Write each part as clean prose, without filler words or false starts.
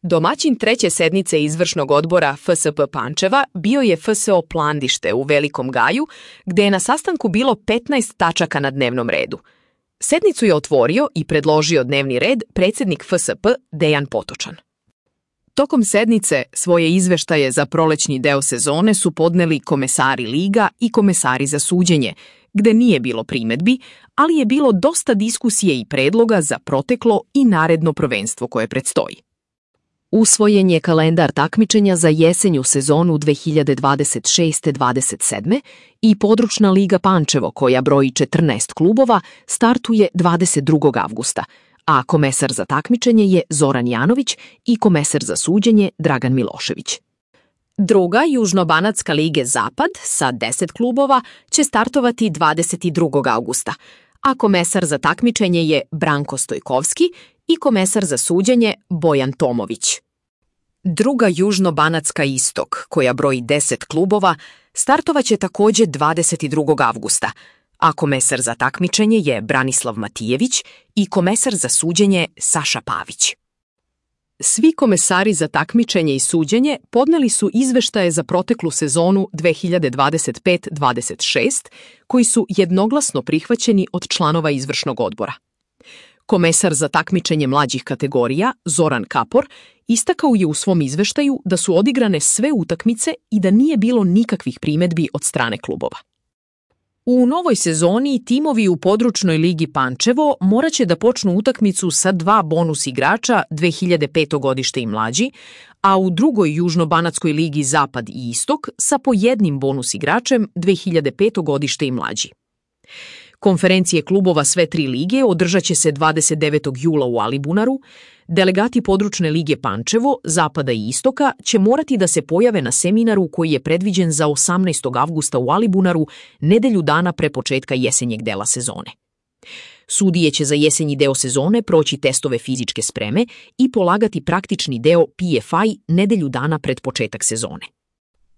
Domaćin treće sednice izvršnog odbora FSP Pančeva bio je FSO Plandište u Velikom Gaju, gde je na sastanku bilo 15 tačaka na dnevnom redu. Sednicu je otvorio i predložio dnevni red predsjednik FSP Dejan Potočan. Tokom sednice svoje izveštaje za prolećni deo sezone su podneli komesari liga i komesari za suđenje, gde nije bilo primedbi, ali je bilo dosta diskusije i predloga za proteklo i naredno prvenstvo koje predstoji. Usvojen je kalendar takmičenja za jesenju sezonu 2026-27 i područna liga Pančevo, koja broji 14 klubova, startuje 22. avgusta, a komesar za takmičenje je Zoran Janović i komesar za suđenje Dragan Milošević. Druga Južnobanatska lige Zapad sa 10 klubova će startovati 22. avgusta, a komesar za takmičenje je Branko Stojkovski i komesar za suđenje Bojan Tomović. Druga Južnobanatska Istok, koja broji 10 klubova, startovaće također 22. avgusta, a komesar za takmičenje je Branislav Matijević i komesar za suđenje Saša Pavić. Svi komesari za takmičenje i suđenje podneli su izveštaje za proteklu sezonu 2025-26, koji su jednoglasno prihvaćeni od članova izvršnog odbora. Komesar za takmičenje mlađih kategorija, Zoran Kapor, istakao je u svom izveštaju da su odigrane sve utakmice i da nije bilo nikakvih primedbi od strane klubova. U novoj sezoni timovi u područnoj ligi Pančevo moraće da počnu utakmicu sa 2 bonus igrača 2005. godište i mlađi, a u drugoj Južnobanatskoj ligi Zapad i Istok sa po jednim bonus igračem 2005. godište i mlađi. Konferencije klubova sve 3 lige održat će se 29. jula u Alibunaru. Delegati područne lige Pančevo, Zapada i Istoka će morati da se pojave na seminaru koji je predviđen za 18. avgusta u Alibunaru, nedelju dana pre početka jesenjeg dela sezone. Sudije će za jesenji deo sezone proći testove fizičke spreme i polagati praktični deo PFI nedelju dana pred početak sezone.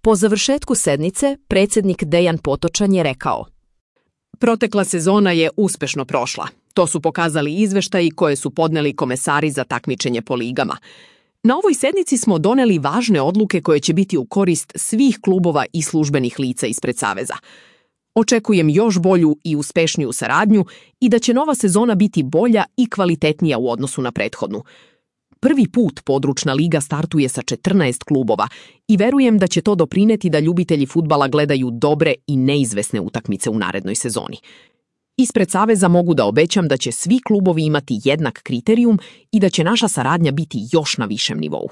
Po završetku sednice, predsjednik Dejan Potočan je rekao: Protekla sezona je uspešno prošla. To su pokazali izveštaji koje su podneli komesari za takmičenje po ligama. Na ovoj sednici smo doneli važne odluke koje će biti u korist svih klubova i službenih lica ispred Saveza. Očekujem još bolju i uspešniju saradnju i da će nova sezona biti bolja i kvalitetnija u odnosu na prethodnu. Prvi put područna liga startuje sa 14 klubova i verujem da će to doprineti da ljubitelji fudbala gledaju dobre i neizvesne utakmice u narednoj sezoni. Ispred Saveza mogu da obećam da će svi klubovi imati jednak kriterijum i da će naša saradnja biti još na višem nivou.